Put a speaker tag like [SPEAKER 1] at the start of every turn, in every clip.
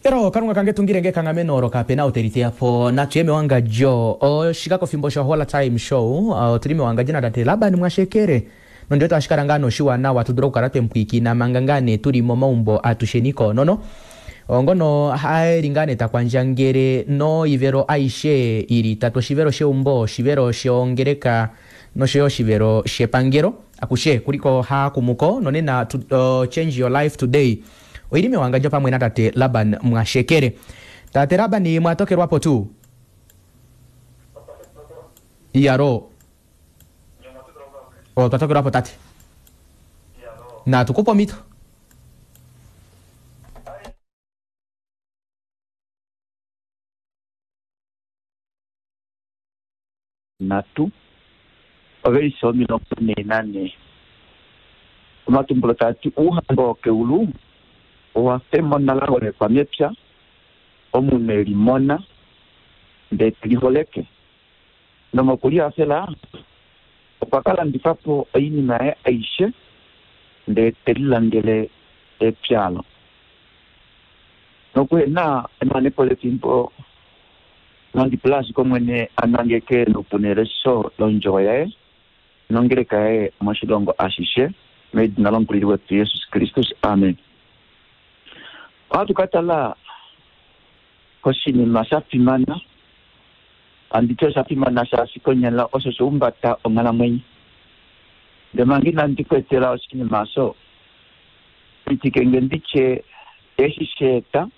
[SPEAKER 1] Pero Kalunga kange tungile nge ekanghameno olo kape na ou te li teya po. Natu ye mewangadjo. Oshikakofimbo sho Hola Time Show. Otu li mewangadjo natate Laban Mwashekele. Nondi wete ohashi kala ngaa nee oshiwanawa tu dule okukala twe mu pwiikina manga ngaa nee tu li momaumbo atusheni koonono. Ongono e li ngaa nee ta kwandjangele noivelo aishe i li itatu, oshivelo sheumbo, oshivelo shongeleka nosho yo oshivelo shepangelo. Akushe kuliko haakumuko nonena to, Change Your Life Today. Oili mewangandjo pamwe natate Laban Mwashekele. Tate Laban mwa tokelwa po tuu? Iyaloo. Otwa tokelwa po tate. Natu ku pe omhito.
[SPEAKER 2] Nhatu, ovelishe 44. Omatumbulo taa ti Ouhamba wokeulu owa fa emona la holekwa mepya, omunhu e li mona, ndee te li holeke. Nomokulihafela okwa ka landifa po oinima yaye aishe, ndee te lilandele epya olo. Nokuhe na emanepo lefimbo, Nandi pule ashike Omwene a nangeke noupuna elesho lOndjovo Yaye nOngeleka Yaye moshilongo ashishe, medina lOmukulili wetu Jesus Kristus. Amen. Ohatu ka tala koshinima sha fimana. Handi ti osha fimana shaashi konyala osho sha umbata onghalamwenyo. Ndele manga inandi ku etela oshinima osho, pitike nge ndi tye eshi sha eta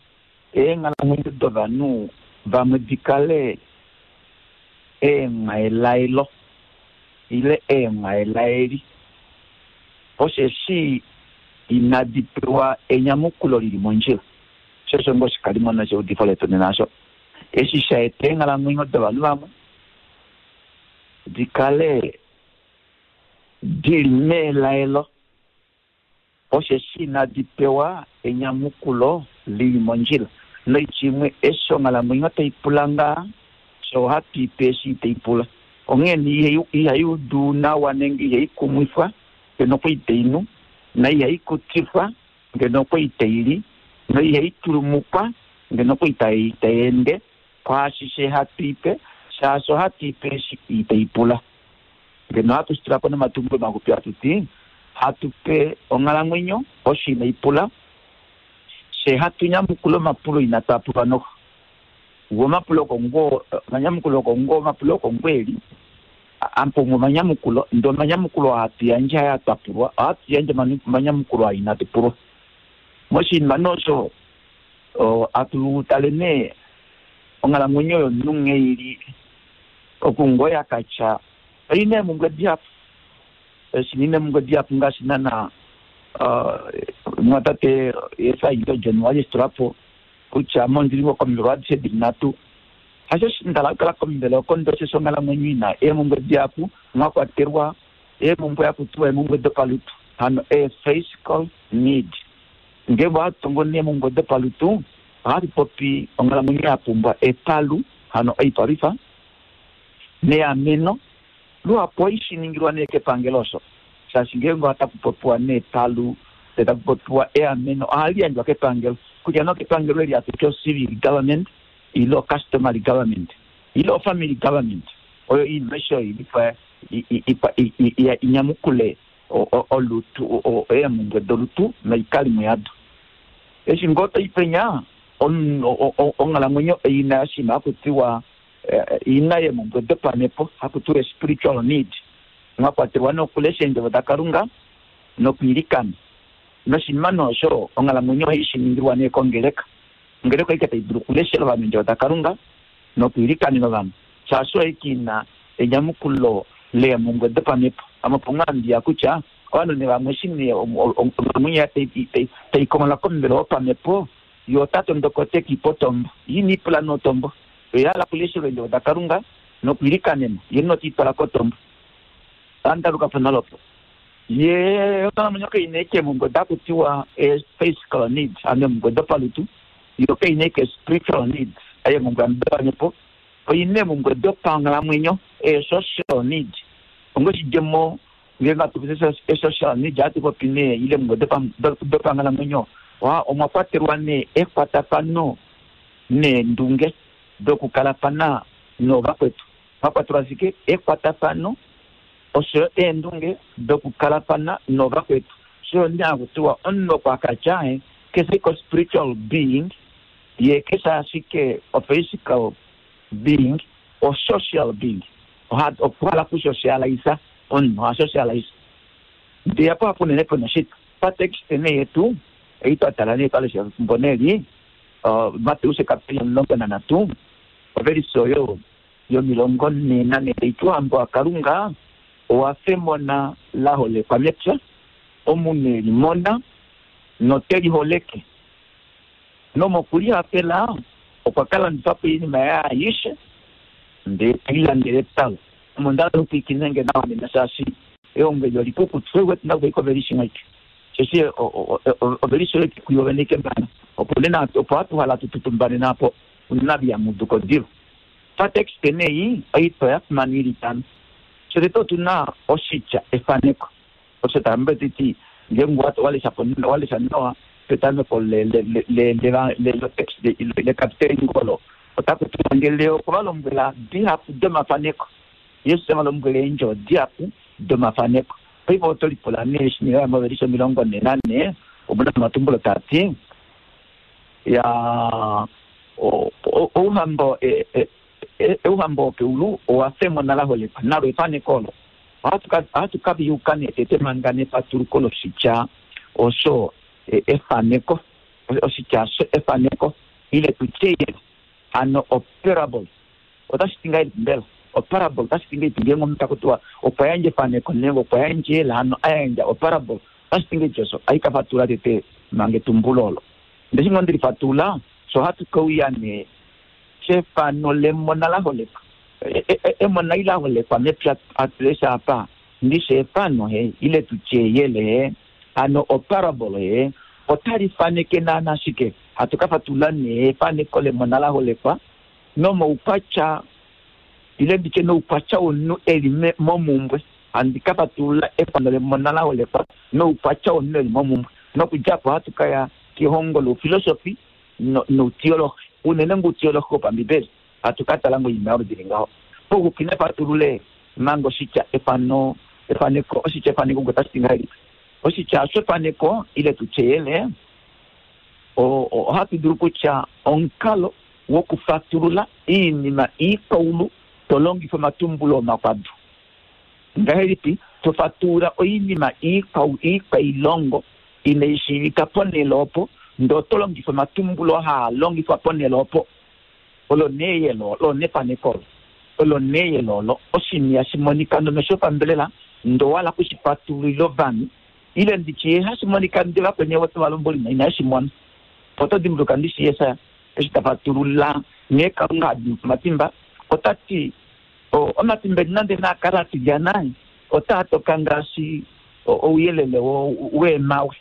[SPEAKER 2] Eenghalamwenyo dovanhu vamwe di kale eemwaelaelo ile eemwaelaeli, osheshi inadi pewa enyamukulo li li mondjila. Sho osho ngoo oshikalimo nosheudifo letu nena osho. Eshi sha eta eenghalamwenyo dovanhu vamwe di kale di li meelaelo. Osheshi inadi pewa enyamukulo li li mondjila. Noitya imwe, eshi onghalamwenyo tai pula ngaa, fye ohatu i pe eshi itai pula. Onghee nee ihai udu nawa nenge ihai kumwifwa ngeno okwa itai nu, na ihai kutifwa ngeno okwa itai li, noihai tulumukwa ngeno okwa itai ende, kwaashishe hatu i pe, shaashi ohatu i pe eshi itai pula. Ngeno ohatu shi tula po nomatumbulo maxupi hatu ti, Hatu pe onghalamwenyo osho inai pula, fye hatu nyamukula omapulo inatu a pulwa noho. Ngoo omapulo oko ngoo, omanyamukulo oko ngoo, omapulo oko ngoo e li, amupumwe omanyamukulo, ndee omanyamukulo oo hatu yandje hayaa twa pulwa, ohatu yandje omanyamukulo aa inatu pulwa. Moshinima nee osho, hatu tale nee onghalamwenyo yomunhu nghee i li, oku ngoo ya ka tya oi na eemhumbwe dihapu. Eshi ina eemhumbwe dihapu ngaashi naana omumwatate Esaito John wa li eshi tula po kutya ame ondi li ngoo komivelo adishe di li nhatu. Hasho eshi nda hala okukala komivelo oko ndee osheshi onghalamwenyo i na eemhumbwe dihapu mwa kwatelwa eemhumbwe haku tiwa eemhumbwe dopalutu hano ee-physical need. Ngeenge ohatu tongo nee eemhumbwe dopalutu ohatu popi onghalamwenyo ya pumbwa epalu hano oipalwifa neameno. Luhapu ohai shi ningilwa nee kepangelo osho, shaashi ngeenge otaku popiwa nee palu ndee taku popiwa eameno ohali yandjwa kepangelo, kutya nee okepangelo eli hatu ti ocivil government ile ocustomary government ile ofamily government, oyo oinima aishe oyo ili po i nyamukule olutu, eemhumbwe dolutu noikalimo yado. Eshi ngoo toi penya, onghalamwenyo oi na oshinima haku tiwa ina yeemhumbwe dopamhepo, haku tiwa spiritual need, mwa kwatelwa nokulesha Eendjovo daKalunga nokwiilikana. Noshinima nee osho, onghalamwenyo ohai shi ningilwa nee kongeleka. Ongeleka oike tai dulu okuleshela ovanhu Eendjovo daKalunga nokwiilikanena ovanhu, shaashi oyo aike ina enyamukulo leemhumbwe dopamhepo. Ame opo ngoo handi ya kutya ovanhu nee vamwe eshi nee onghalamwenyo yaye tai konghola komuvelo wopamhepo, ye ota tondoka ote ke i pa otombo. Ye ine i pula nee otombo. Oye a hala okuleshelwa Eendjovo daKalunga nokwiilikanenwa, ye note i twala kotombo. Ohandi aluka po nale opo. Ye onghalamwenyo kai na ashike eemhumbwe odo haku tiwa ee-physical needs, hano eemhumbwe dopalutu, yo kai na ashike spiritual needs, eemhumbwe hano dopamhepo, oi na eemhumbwe dopanghalamwenyo, ee-social needs. Onga oshidjemo, ngeenge hatu popi ee-social needs, ohatu popi nee ile eemhumbwe dopanghalamwenyo. Omwa kwatelwa nee ekwatafano neendunge dokukalafana noovakwetu. Omwa kwatelwa ashike ekwatafano oshoyo eendunge dokukalafana noovakwetu. Oshoyo nee haku tiwa omunhu oko akatya keshe ko spiritual being ye keshe ashike o physical being o social being. Okuhala kusocialisa omunhu oha socialise. Ndee apo hapo unene pena oshitwa. Patext nee yetu ei twa tala nee twalesha efimbo neli Mateus kapiteli 13 ovelise oyo yomilongo nhee nanhe tai ti ouhamba waKalunga owa fa emona la holekwa mepya, omunhu e li mona note li holeke. Nomokulihafela okwa ka landifa po oinima yaye aishe ndee te lilandele epya. Ame onda hala okupwilikina nge nawa nena shaashi ehongo eli olikukutu. Sho uwete nakuya kovelise imwe aike. Osheshi ovelise oyo kuyo vene ikembana. Opo nena opo hatu hala tu tutumbane naapo unene viamuduko diva. Patext nei oitwa ya fimana ili itano. Shotete otu na oshitya efaneko. Osho tamba titi ngeenge walesha po walesha nawa petameko letext lekapiteli olo otaku tiwa ngele okwa va lombwela dihapu domafaneko. Jesus eva lombwela eendjovo dihapu domafaneko. Paife oto lipula nee eshi nee movelishe 44 omuna omatumbulo taa ti ya ouhamba ouhamba wokeulu owa fa emona la holekwa nalo efaneko olo. Ohatu ka viyuka nee tete manga nefatuluko loshitya osho efaneko, oshitya osho efaneko ile tutye hano oparable. Otashi ti ngahelipi mbela? Oparable otashi ti ngahelipi ngeenge omunhu taku tiwa okwa yandja efaneko nenge okwa yandja ela hano a yandja oparable, otashi ti ngahelipi osho? Ohai ka fatula tete manga etumbulo olo. Ndele eshi ngoo ndeli fatula, sho ohatu ke uya nee kefano lemona la holekwa. Emona ila holekwa mepya hatu lesha apa, ndishi efano he, ile tutye eyele he, hano oparable he, otali faneke naana shike? Hatu ka fatula nee efaneko lemona la holekwa nomoukwatya ile nditye noukwatya womunhu e li momumbwe. Handi ka fatulula efano lemona la holekwa noukwatya womunhu e li momumbwe. Nokudja apo ohatu ka ya kehongo loufilosofi noutiolohi, unene ngoutiolohi wopambibeli. Hatu ka tala ngoinima yoludi li ngaho. Pouxupi nafatulule manga oshitya efano efaneko, oshitya efaneko ngo otashi ti ngahelipi? Oshitya osho efaneko ile tutye eyele, ohatu dulu kutya omukalo wokufatulula oinima iikaulu to longifa omatumbulo omakwadu. Ngahelipi to fatulula oinima iikwailongo inai shiivika ponhele opo, ndee oto longifa omatumbulo haa longifwa ponhele opo? Olo nee eyele olo nefaneko olo. Olo nee eyele olo oshinima ihashi monika nomesho opambelela, ndee owa hala okushi fatululila ovanhu, ile nditye ihashi monika ndee vakweni ovo tava lombwele inaye shi mona. Oto dimbuluka ndishi Jesus eshi ta fatulula nghee Kalunga ha dimi po omatimba, ota ti, Omatimba eni nande naa kale a tilyana, otaa toka ngaashi ouyelele weemhawe.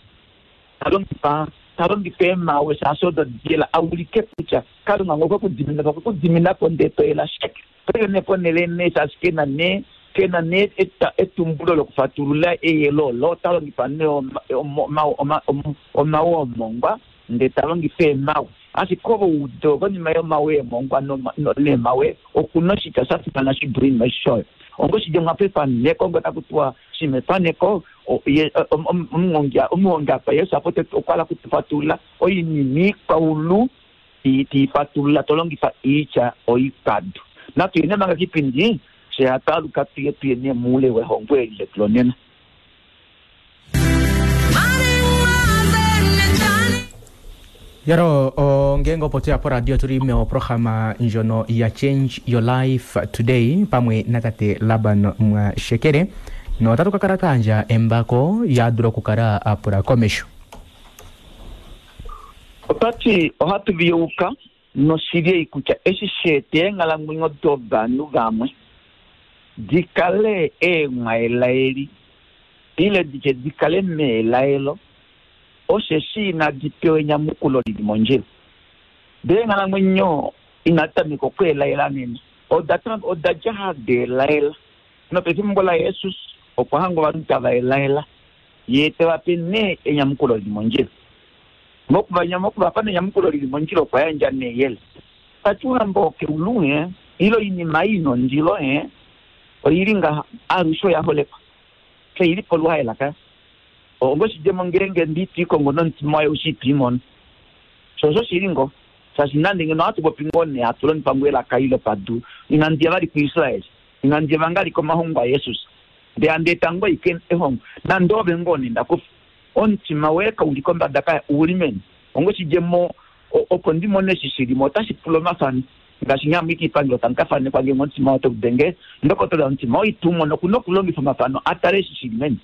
[SPEAKER 2] Ta longifa ta longifa eemhawe shaashi odo diyela a ulike kutya Kalunga ngee okwe ku dimina po, okwe ku dimina po ndee to yela sheke. Paife nee ponhele nee shaashi ke na nee ke na nee etumbulo lokufatulula eyelo olo, ota longifa nee omawe omongwa ndee ta longifa eemhawe. Ashike ove ude konima yomawe eemongwa neemhawe oku na oshitya sha fimana shi dule oinima aishe oyo. Onga oshidjemo apa efaneko, onga taku tiwa shima efaneko, omuhongi apa Jesus apa okwa hala okutu fatulula oinima ikwaulu te i fatulula to longifa oitya oikwadu. Natu yeni manga kipindi, fye hatu aluka tuye tuye nee moule wehongo eli letu lonena.
[SPEAKER 1] Yaro ngeenge opo tweya poradio tuli meoprograma ndjono ya Change Your Life Today pamwe natate Laban Mwashekele notatu ka kala twa yandja embako ya dula okukala a pula komesho.
[SPEAKER 2] Ota ti ohatu viyouka noshili ei kutya eshi sha eta eenghalamwenyo dovanhu vamwe di kale eenghwaelaeli ile ditye di kale meelaelo osheshi inadi pewa enyamukulo li li mondjila. Ndele eenghalamwenyo inadi tameka okweelaela nena, oda dja hadi elaela. Nopefimbo laJesus okwa hanga ovanhu tava elaela, ye te va pe nee enyamukulo li li mondjila. Mokuvapa nenyamukulo lili mondjila okwa yandja neyele. Tati ouhamba wokeulu ile oinima ii nondilo oili ngaha alushe oya holekwa. Keili poluhaela kaya. Ongoshidjemo ngeenge ndi twiikongo nomutima waye ushi itwiimono. Sho osho shili ngoo. Shaashi nande ngeno ohatu popi ngoo nee hatu longifa ngoo elaka eli lopadu, inandi ya vali kuIsrael, inandi ya vali komahongo aJesus, ndele handi eta ngoo ashike ehongo, nande ove ngoo nee nda kufa. Omutima woye kau li kombada kaya, ou li meni. Ongoshidjemo, opo ndi mone eshi shi li mo, otashi pula omafano. Ngaashi nghee hamu i koipangelo tamu ka fanekwa ngeenge omutima woye otau denge, ndokotola yomutima oitu mona oku na okulongifa omafano a tale eshi shi li meni.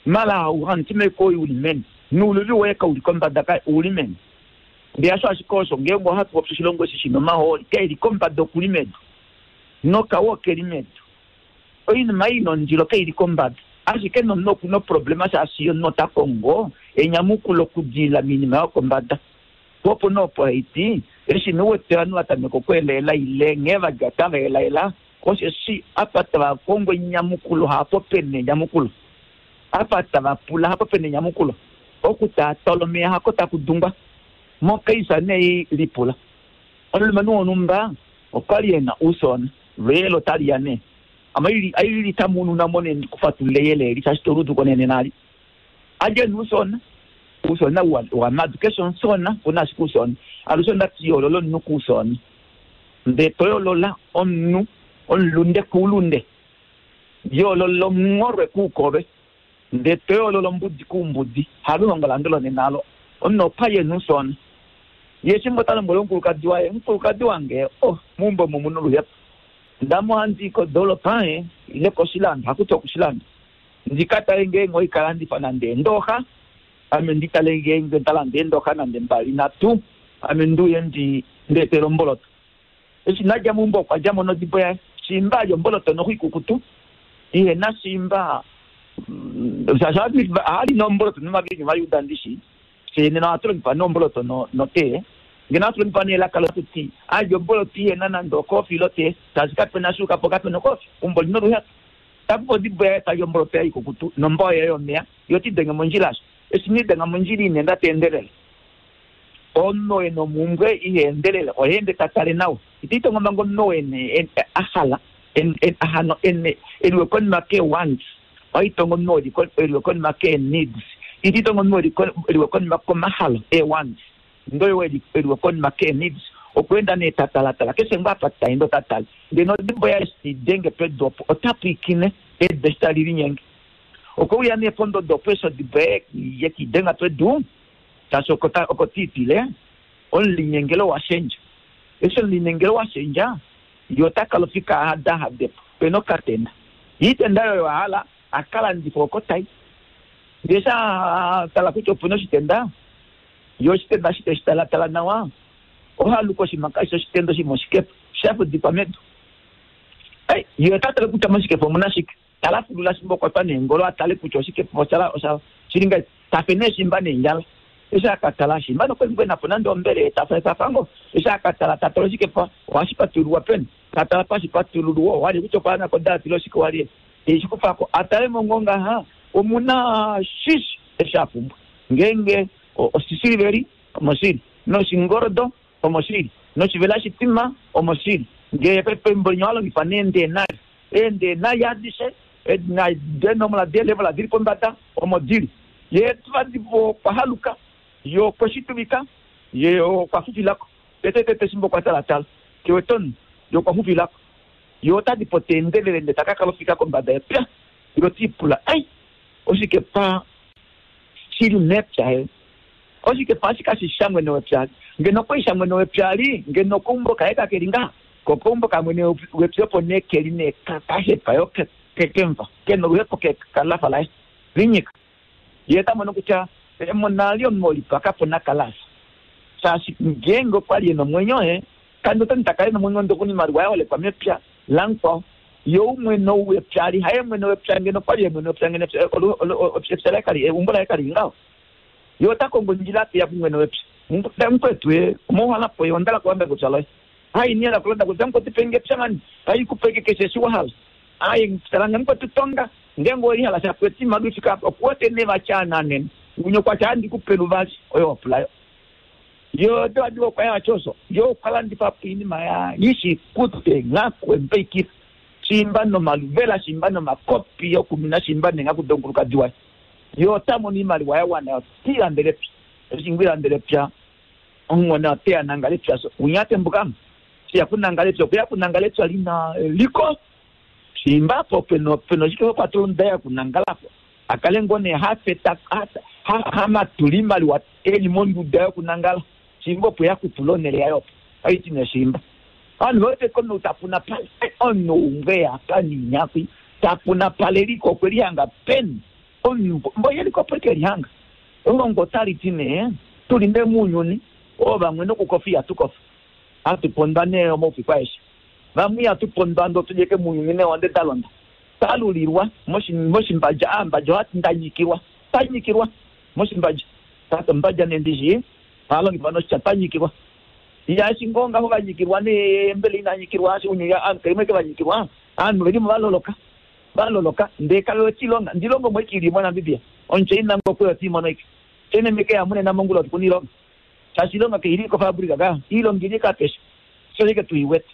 [SPEAKER 2] Mala omutima woye u li meni, nouluvi woye kau li kombada kaya, ou li meni. Ndele hasho ashike osho, ngeenge ohatu popi oshilongo eshi shi na omahooli, ke li kombada oku li medu, nokawe oke li medu. Oinima ei nondilo kai li kombada, ashike nomunhu oku na oproblema shaashi omunhu ota kongo enyamukulo okudilila moinima yokombada. Po opo nee opo hai ti, eshi nee u wete ovanhu va tameka okweelaela ile nghee va dja tava elaela, osheshi apa tava kongo enyamukulo hapo pe na enyamukulo. Apa tava pula hapo pe na enyamukulo. Okutaatala omeya hako taku dungwa. Mokaisa nee lipula. Omulumenhu wonhumba okwa li e na ousona. Lweyele otali ya nee. Ame aili litamununa mo nee ndikufatulule eyele eli shaashi toluudu ko nee nena ali. Alye nee ousona. Ousona wamadu. Keshe omusona oku na ashike ousona. Alushe ondati yoolola omunhu kousona. Ndee to yoolola omunhu omulunde koulunde. Yoolola omungholwe koukolwe. Ndee to yoolola ombudi koumbudi. Haluhongo lange lonena alo. Omunhu opa ye nousona. Ye fimbo ta lombwele omukulukadi waye, Omukulukadi wange, oh, meumbo omu omu na oluhepo. Ndamo ohandi i kodoolopa ile koshilando, hakuti okushilando, ndi ka tale ngeenge oikalandifa nande eendooxa, ame ndi tale ngeenge nda landa eendooxa nande mbali nhatu, ame ndi uye ndi etele omboloto. Eshi na dja meumbo okwa dja mo nodibo yaye. Shiimba a lya omboloto noxo ikukutu, ihe na shiimba, shaashi ohali nomboloto nomaviinyu Ovajuda ndi shii. Fye nena ohatu longifa nee omboloto notee. Ngeno ohatu longifa nee elaka lokuti a lya omboloto ihe na nande okoofi ile otee, shaashi kape na shuuka po kape na okoofi. Eumbo li na oluhepo. Ta kufa odibo yaye ta li omboloto yaye ikukutu nombao yaye yomeya, ye ota idenge mondjila asho. Eshi ne idenga mondjila ina enda ta endelele. Omunhu oo e na omhumbwe iha endelele, oha ende ta tale nawa. Ita itongo manga omunhu oo a hala, hano e liwe konima kee-wants. Oha itongo omunhu oo e liwe konima kee-needs. Ita itongo omunhu oo e liwe konima komahalo, ee-wants. Ndele oo e liwe konima kee-needs, okwa enda nee ta talatala. Keshe ngoo apa ta ende ota tale. Ndele nodibo yaye eshi te i denge pedu opo, ota pwiikine edu eshi tali linyenge. Okwe uya nee pondodo opo eshi odibo yaye ye ke i denga pedu, shaashi oko te i tile, omulinyengelo wa shendja. Eshi omulinyengelo wa shendja, ye ota kala ofika a hadahade po, pe na okatenda. Ye itenda oyo a hala a ka landife oko tai. Ndele eshi a tala kutya opu na oshitenda, ye oshitenda eshi te shi talatala nawa, oha luka oshinima kashi shi oshitenda, oshinima oshikepa, sha fudikwa medu. Ei, ye ota tale kutya moshikepa omu na shike. Tala fulula shimba okwa twa neengolo a tale kutya oshikepa osha shili ngahelipi. Tafe nee shimba neendjala. Eshi a ka tala shimba nokwali ngoo e na po nande ombele ye tafa tafa ngoo. Eshi a ka tala ta tala oshikepa ohashi patululwa peni. Ta tala pashi patululwa owa li kutya okwa ya kodaati ile oshike wa li e shi kufa ko. A tale mo ngoo ngaha omu na shishi eshi a pumbwa. Ngeenge oshisiliveli omoshili noshingoldo omoshili noshivela shitima omoshili. Ngee pefimbo linya owa longifa neendenari. Eendenari adishe deenomola deelevola di li pombada omo di li. Ye vadi okwa haluka, ye okwe shi tuvika, ye okwa fufila ko. Tetetete shimba okwa talatala, ke wete omunhu, ye okwa fufila ko. Ye ota di po ta endelele ndele ta ka kala ofika kombada yepya. Ye ota ipula, Ai, oshikepa shi li mepya he? Oshikepa eshi kashi shi shamwene wepya. Ngeno okwa li shamwene wepya li, ngeno okaumbo kaye kake li ngaha. Ko okaumbo kamwene wepya opo nee ke li nee kahepa yo kekemva, ke na oluhepo kelafa laye linyika. Ye ota mono kutya emona li omunhu olipaka po nakalasa. Shaashi ngeenge okwa li e na omwenyo he, kandi ota ta kala e na omwenyo ndele okuna oimaliwa ya holekwa mepya lamukwao. Ye ou mwene ou wepya ali haye mwene wepya, ngeno okwa li ye mwene wepya ngeno epya laye kali, eumbo laye kali li ngaho. Ye ota kongo ondjila te ya kumwene wepya. Mukwetu ye, omouhala po ye, onda hala okulanda kepya loye. Ai, ine hala okulanda kepya, mukwetu pe nge epya mani, tai ku pe keshe eshi wa hala. Ai, tala nge mukwetu tonga, ngeenge owe lihala sha kwete oimaliwa i fike apa, oku wete nee va tya ananena. Unye okwa andi kupe luvali oyo wapulayo. Yo tewadiwa okwa ya choso. Yo okwalandifa po iinima ya yishikute nghaku empeikira. Shimba nomaluvela shimba nomakopi yokumina shimba nenghaku donkulukadi waye. Yo ota mono iimaliwa ya wana yo tiilandele epya. Eshi ngwiilandele epya omuhona oteya nangala epya so. Unya atembukamo. Shiya kunangala epya okuya kunangala epya lina eliko. Shimba po peno oshike kwatulunda ya kunangalapo. Akale ngoo nee hafeta hamatula iimaliwa eli monduda yokunangala. Shimba opo yakutula onhele yayo opo. Aiti nee shimba. Ovanhu vewete komunhu tapuna pale. Omunhu umwe apa ninyakwi tapuna pale liko okwe lihanga peni. Omunhu mbo yeliko opo eke lihanga. Elongo otali ti nee tuli nee mounyuni oo vamwe nokukofa ihatu kofa. Hatu pondwa nee omaufiku aeshe. Vamwe ihatu pondwa ndoo tulyeke mounyuni nee onde dalonda. Talulilwa moshimbadja aambadja ohati ndanyikilwa. Tanyikilwa moshimbadja. Tata ombadja nee ndishi ohalongifa noshitya tanyikilwa. Yaashi ngoo ngaho vanyikilwa nee mbela inanyikilwa ashi unyuya aanhu kaimwe ke vanyikilwa aanhu velimo valoloka. Valoloka ndee kave wete ilonga. Ndilongo mo ike ili moNamibia. Omuchina ngo kwe oti mono ike. China meke ya munena mongula oti kuna ilonga. Shaashi ilonga keili kofabrika ka. Ilonga ili kapesha. Sho ike tuiwete.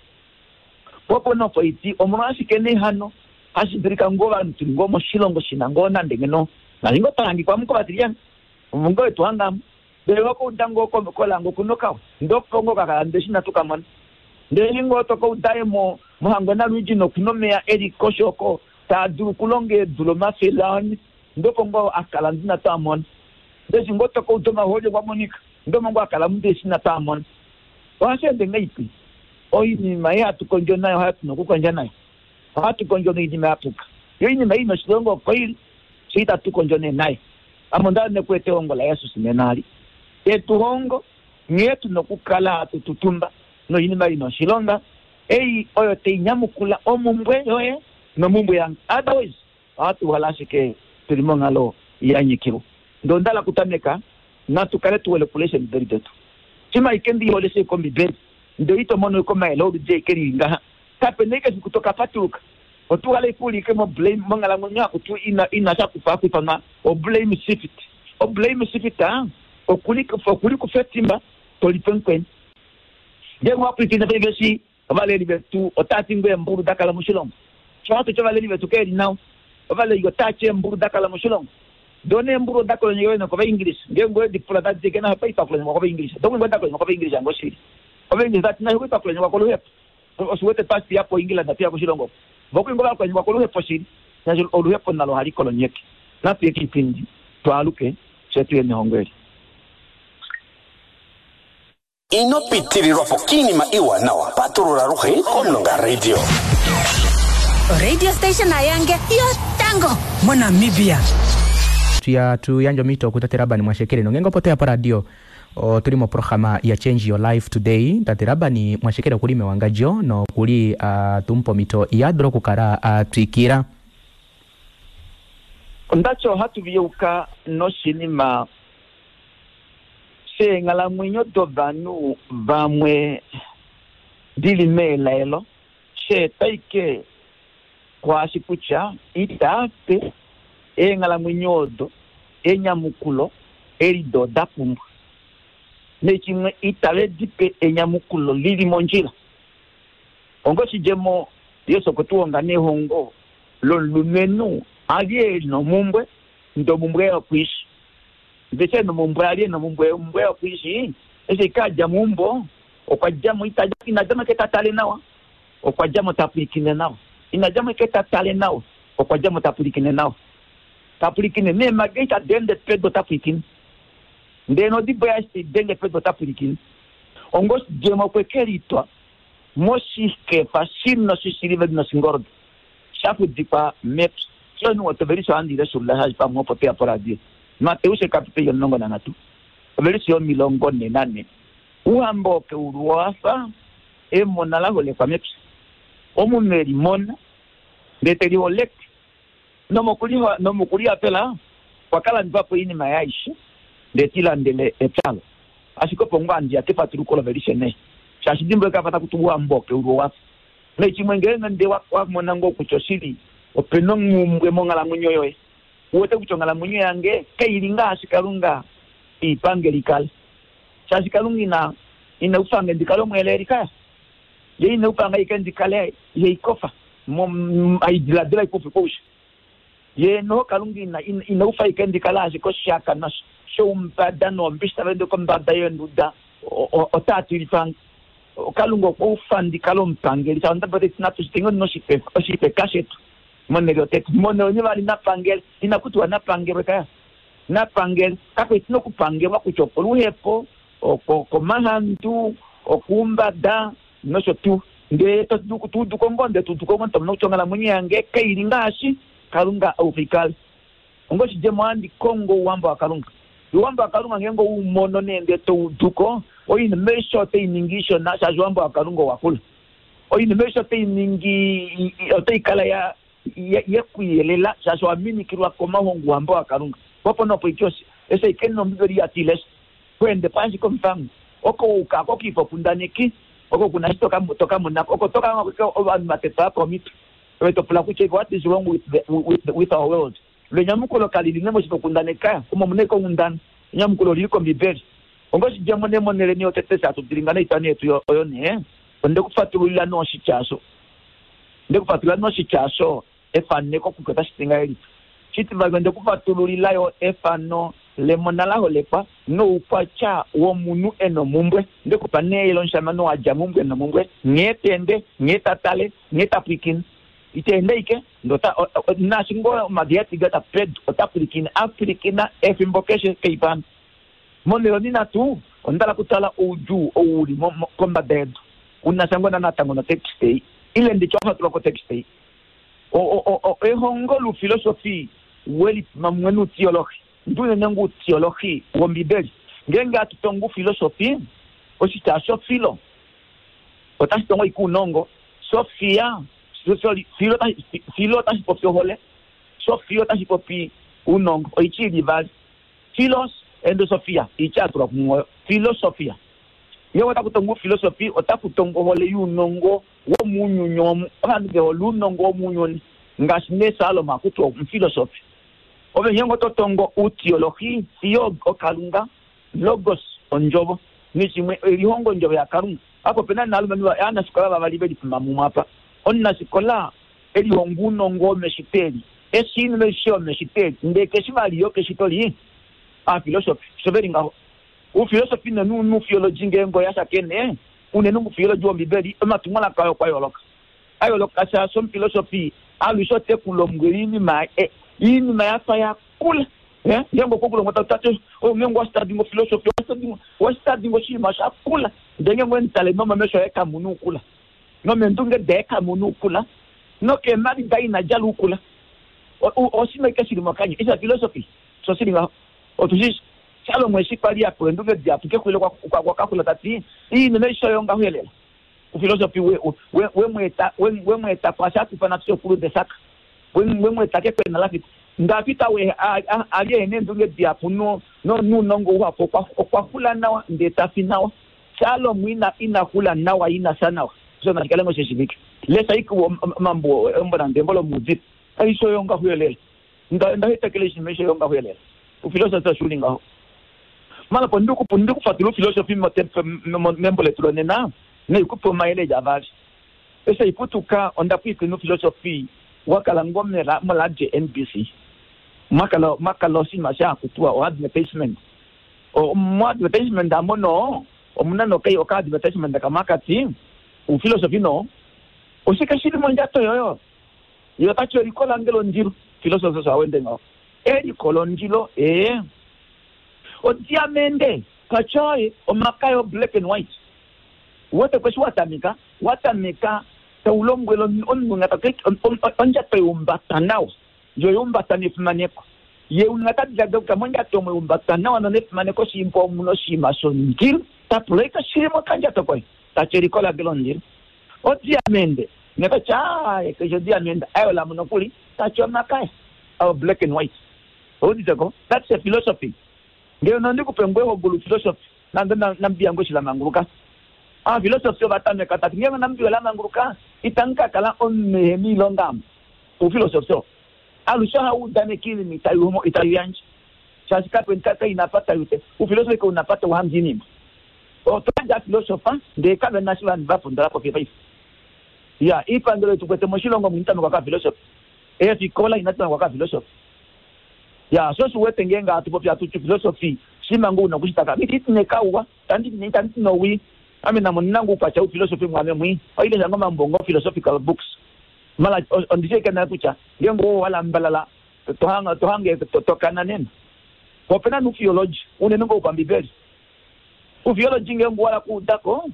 [SPEAKER 2] Popo nopo iti omolwashike nee hano hashi dulika ngoo ovanhu tuli ngoo moshilongo shina ngoo nande ngeno. Nali ngoo twahangikwa muko vatilyana. Ngoo etu hangamo. Ndele wakouda ngoo kolango kunokawa. Ndoko ngoo kakala ndele shina tukamona. Ndele ngoo tokouda mo mohangwena Luigi nokunomeya eli koshoko taadulu kulonga eedula omafele ane. Ndoko ngoo akala ndina twamona. Ndele ngoo tokouda omahooli kwa monika. Ndomo ngoo akala munde shina twamona. Ohashi ende ngaipi? Oinima ei hatu kondjo nayo ohatu nokukondja nayo. Ohatu kondjo noinima ya puka. Yo iinima ei noshilongo oko ili, sho itatu kondjo nee nayo. Ame onda nekuete ehongo laJesus nena ali. Etuhongo nghee tu nokukala hatu tutumba noinima ei noshilonga ei oyo tainyamukula omumbwe yoye nomumbwe yange. Otherwise ohatu hala ashike tuli monghalo ya nyikilwa. Ndee onda hala okutameka natu kale tu wele okulesha Ombibeli detu. Shima ike ndi hole shi kOmbibeli ndee ito mono komayele oludi eke lili ngaha. Kapena ike efiku tokapatuluka. Otu hala ike ulike mo blame monghalamwenyo akutu ina sha kufa kuifanwa o blame shift. O blame shift okuli kufa etimba tolipe mukweni. Ngeenge wapwilikina paife eshi ovaleli vetu otava ti ngoo eembulu da kala moshilongo. Sho hatu ti ovaleli vetu keli nawa. Ovaleli otava ti eembulu da kala moshilongo. Doo eembulu oda kolonyekwa nokovaingilisa. Ngeenge owedi pula tadi ti kena opa itwa kolonyekwa kovaingilisa. Doo oda kolonyekwa kovaingilisa ngoo shili. Ovaingilisa tati nayo itwa kolonyekwa koluhepo. Oshiwete twasiya po England tuya koshilongo. Vokwingo vakolonyekwa koluhepo shili. Shaashi oluhepo nalo ohali kolonyeke. Natuye kiipindi twaaluke fye tuye nehongo eli.
[SPEAKER 3] Ino pitililwapo kiinima iiwanawa. Patulula aluhe Omulonga Radio.
[SPEAKER 4] Radio station ayange yotango
[SPEAKER 5] moNamibia.
[SPEAKER 1] Tuya tuyandja omhito kutate Laban Mwashekele nongeenge opo toya poradio otuli moprograma ya Change Your Life Today. Tate Laban Mwashekele okuli mewangadjo nokuli tumupa omhito yadula okukala atwikila.
[SPEAKER 2] Ondati ohatu viyeuka noshinima sheenghalamwenyo dovanhu vamwe dili meelaelo sheeta ike kwaashi kutya itaape eenghalamwenyo odo enyamukulo eli do da pumbwa. Nechimwe itave dipe enyamukulo lili mondjila. Ongo shidjemo Yesu okwe tuhonga nehongo lomulumenhu ali eli nomumbwe, ndee omumbwe yokwiishi. Ndee eshi nomumbwe ali nomumbwe, omumbwe yokwiishi, eshi kadja meumbo, okwa djamo ina djamo ike tatale nawa, okwa djamo tapwilikine nawa. Ina djamo ike tatale nawa, okwa djamo tapwilikine nawa. Tapwilikine neemage itadi ende pedu otapwilikine. Ndee nodibo yaye eshi taidenge pedu otapwilikine. Ongo oshidjemo okwe kelitwa moshikefa shino shishisiliveli noshingoldo shafudikwa mepya. Sho otovelisi ohandi leshulula shaashi pamwe opo toya poradio. Mateus ekapiteli 13 ovelisi yo44. Ouhamba wokeulu owafa emona la holekwa mepya. Omunhu e limona ndee te liholeke. Nomokulihafela okwa ka landifa po oinima yaye aishe ndee te lilandele epya. Ashike opo ngoo handi ya kefatuluko lovelishe nee. Shaashi dimbuluka apa taku tiwa ouhamba wokeulu owafa. Naichimwe ngeenge nde wamona ngoo kutya oshili opena omumbwe monghalamwenyo yoye. Uwete kutya onghalamwenyo yange kaili ngaashi Kalunga iipange likale. Shaashi Kalunga ina ina ufange ndikale omweeleli kaya. Ye ina ufanga ike ndikale yeikofa aidiladila ikufi kousha. Ye noho Kalunga ina ina ufa ike ndikale ashike oshihakanwa shoumbada noombishi tava ende kombada yeenduda otaa tilifange. Kalunga okwa ufa ndikale omupangeli. Shaashi onda natu shitenge oshifeka shetu monhele yotete. Monhele onivali napangele. Ina kutiwa napangelwe kaya. Napangele. Kakweti nokupangelwa kutya okoluhepo, okomahandu, okuumbada nosho tuu. Ndele tuuduko ngoo ndele tuuduko ngoo tomona kutya onghalamwenyo yange kaili ngaashi Kalunga aufikale. Ongoshidjemo ohandi kongo ouhamba waKalunga. Ouhamba waKalunga ngeenge oumono nee ndele touduko, oinima aishe otai ningi ishona shaashi ouhamba waKalunga owakula. Oinima aishe otai ningi otai kala ya yekuyelela shaashi owa minikilwa komahongo ouhamba waKalunga. Opo nopo ike eshi ike nOmbibeli ya tilesha. Kweende po ashike omufango. Oko uka oko kiifokundaneki, oko kuna eshi toka mona ko. Oko toka ovanhu va tetwa komitwe. Ove to pula kutya what is wrong with, the, with, with our world. Lwenyamukulo kali li moshifokundaneka omo muna ike onghundana. Enyamukulo olili kOmbibeli. Ongoshidjemo nee monheleni yotete eshi hatu dilinga noitwa nee yetu oyo nee, onde ku fatululila nee oshitya osho. Onde ku fatululila nee oshitya osho efaneko kutya otashi ti ngahelipi. Shitivali onde ku fatululila yo efano lemona la holekwa noukwatya womunhu e nomumbwe. Onde ku pa nee omushamane oo a dja mumbwe nomumbwe, nghee ta ende, nghee ta tale, nghee ta pwilikine. Ita ende ashike, ndele ota, naashi ngoo omadi a tiga pedu, ota pwilikine, a pwilikina efimbo keshe keifano. Monhele onhinhatu, onda hala okutala oudjuu ou u li kombada yedu, u na sha ngoo natango notext ei, ile nditye wa fatulwa kotext ei. Ehongo loufilosofi we lipuma mumwe noutiolohi, ndi unene ngoo outiolohi wOmbibeli. Ngeenge hatu tongo oufilosofi, oshitya osho filo otashi tongo ashike ounongo, sofia, filo otashi popi ohole, sofia otashi popi ounongo. Oitya ili ivali. Philos and Sophia, oitya ya tulwa kumwe oyo. Philosofia. Ngeenge otaku tongwa oufilosofi, otaku tongwa ohole younongo womuunyuni omu. Ovanhu ve hole ounongo womuunyuni, ngaashi nee Salomo a kutiwa omufilosofi. Ove ngeenge oto tongo outiolohi, theo okalunga, logos ondjovo, neshimwe elihongo ondjovo yaKalunga. Apa ope na nee ovalumenhu ovanafikola vavali ve lipuma mumwe apa. Omunafikola elihongo ounongo womeshito eli, eshi oinima aishe yomeshito eli, ndele keshi vali yo keshito li aafilosofi osho ve li ngaho. Oufilosofi noufiologi ngeenge oya shakene, unene oufiologi wOmbibeli, omatumwalaka ayo okwa yooloka. A yooloka shaashi omufilosofi alushe ote ku lombwele oinima oinima ya fa ya kula. Ngeenge okwe ku lombwela ta ti, ngeenge owa study ngo philosophy, owa study ngo oshinima sha kula, ndele ngeenge owe mu tale nomomesho aye kamu na oukula, nomeendunge daye kamu na oukula, nokeemhadi daye ina djala oukula. Oshinima ashike shi li mokanya. It's a philosophy. Osho shi li ngaho. Otu shi shi. Salomo eshi kwa li a pewa eendunge dihapu kexulilo okwa ka xula ta ti, Oinima aishe oyo ngaho elela. Ufilosofi we, we, we mu eta, we, we mu eta kwaasho hatu ifana fye okuludesak, we, we mu eta kekwena la fita. Ndafita we a, a, a li e na eendunge dihapu no, no, nounongo uhapu, okwa, okwa xula nawa ndee ta fi nawa. Salomo ina, ina xula nawa, ina fya nawa. Osho nashi kale ngoo she shivike. Lesha ashike omambo, embo nande embo lOmuudifi. Aishe oyo ngaho elela. Nda, nda hetekela oinima aishe oyo ngaho elela. Ufilosofi osho u li ngaho. Mala po ndi ku ndi ku fatula ufilosofi membo letu lonena, nai ku pe omayele eli avali. Eshi hai putuka onda pwilikina ufilosofi wa kala ngoo moradio NBC. Mwa kala mwa kala oshinima sha haku tiwa oadvertisement. Moadvertisement amo noo omuna nokai okaadvertisement kamwe haka ti ufilosofi noo oshike shi li mondjato yoye? Ye ota ti eliko lange londilo. Filosofi osho a wende ngaho. Eliko londilo ee. Odiamende, kachoe, omakaya o black and white. Uwete ko eshi wa tameka, wa tameka tau lombwele omunhu nga ta ondjato yaumbata nawa. Ndjo yaumbata nefimaneko. Ye unga ta diladila kutya mondjato omo yaumbata nawa nonefimaneko shimpa omu na oshinima shondilo, ta pula ika shili mokandjato koye. Ta ti eliko lange londilo. Odiamende, nota ti aaye keshe odiamende, ayo lamu nokuli, ta ti omakaya, ayo black and white. Oudite ko? That's a philosophy. Ngeno nandi ku pe ngoo ehongo louphilosophy, nande Namibia ngoo eshi la manguluka. Aaphilosophy ova tameka tati ngeenge Namibia ola manguluka, itamu ka kala omunhu ehe na oilonga amu. Ouphilosophy oo. Alushe ohau udaneke oinima itau yandje. Shaashi kape na apa tau te. Ufilosofi kau na apa tau hange oinima. Otwa yandja filosofa ndee kave na eshi vanhu va pondola po fiyo paife. Ya, oipangelo ei tu kwete moshilongo omu ina tamekwa kafilosofi. Eefikola inadi tamekwa kafilosofi. Ya, sho osho u wete ngeenge hatu popi hatu ti filosofi shima ngoo u na okushitaka. Ame itandi ti nee kauwa, itandi ti nowii. Ame name ondi na ngoo oukwatya woufilosofi mwaame mwii. Ohandi lesha ngoo omambo ngoo philosophical books. Mala ondi shi ashike nale kutya ngeenge owa lambalala to hange to kana nena. Po opena nee oufiology, unene ngoo wopambibeli. Oufiology ngeenge owa hala okuuda ko,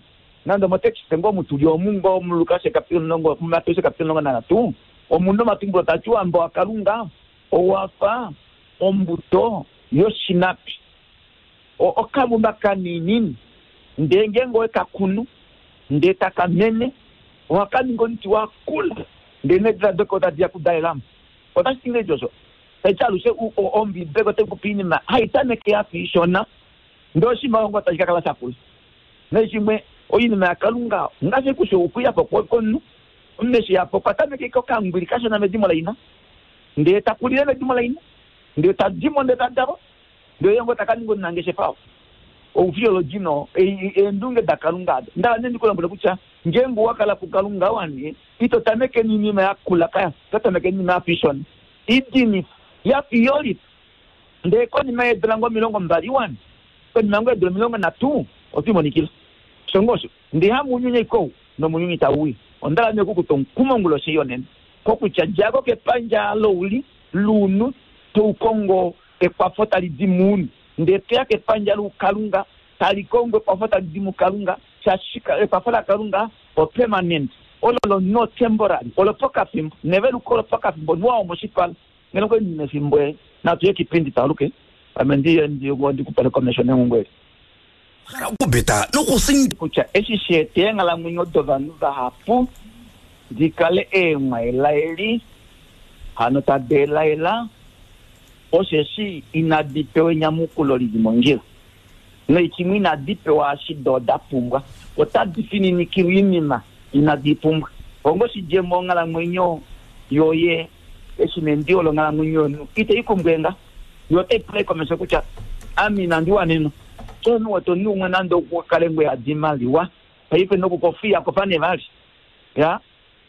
[SPEAKER 2] nande omotekiste ngoo omu tuli omu ngoo muLukas ekapitolo omulongo, muMateus ekapitolo 13, omu na omatumbulo taa ti Ouhamba waKalunga owa fa ombuto yoshinapi. Okamumba kaninini, ndee ngeenge owe ka kunu, ndee taka mene, ohaka ningi omuti wa kula, ndee needila doke otadi ya okudalelamo. Otashi ti ngahelipi osho? Tashi ti alushe Ombiibeli otai popi oinima hai tameke ya fa ishona, ndee oshinima osho ngoo tashi ka kala sha kula. Nashimwe, oinima yaKalunga ngaashi kutya okuya po kwomunhu, omunhu eshi ya po okwa tameka ashike okangwili kashona medimo laina, ndee ta kulile medimo laina, ndee ta di mo ndee ta dalwa, ndele ye ngoo ta ka ninga omunangeshefa oo. Oufiology no eendunge daKalunga ado. Nda hala nee ndi ku lombwele kutya ngeenge owa kala puKalunga wane, ito tameke noinima ya kula kaya, oto tameke noinima ya fa ishona, idinifa, ya fa iyolifa. Ndele konima yeedula ngoo 20 wane, konima ngoo yeedula 30, oto imonikila. Osho ngoo osho. Ndee hamunyunyi ashike ou, nomunyunyi tau uya. Onda hala nee oku ku twa omukumo onguloshi ei yonena, kokutya dja ko kepandja louli, luunhu, tou kongo ekwafo tali di muunhu, ndee to ya kepandja loukalunga, tali kongo ekwafo tali di muKalunga, shaashi ekwafo laKalunga o-permanent, olo lomunhu o-temporary, olopokafimbo, neveluko olopokafimbo, nuwa womoshipala. Ngeno okwali ndi na efimbo e, natu ye kipindi taaluke, ame ndi ye ndi ku pale komesho nengungo eli.
[SPEAKER 3] Hala okubeta nokusinda.
[SPEAKER 2] Kutya eshi sha eta eenghalamwenyo dovanhu vahapu di kale eemwaelaeli, hano tadi elaela, osheshi inadi pewa enyamukulo li li mondjila, noikimwe inadi pewa eshi do da pumbwa. Otadi fininikilwa oinima inadi i pumbwa. Onga oshidjemo onghalamwenyo yoye eshi nendiwo longhalamwenyo yomunhu itai kumbwenga, yo otai pula komesho kutya ame inandi wanenwa. Omunhu wete omunhu umwe nande okwa kale ngoo e yadi oimaliwa paife nokukofiya kofa nee vali. Ya,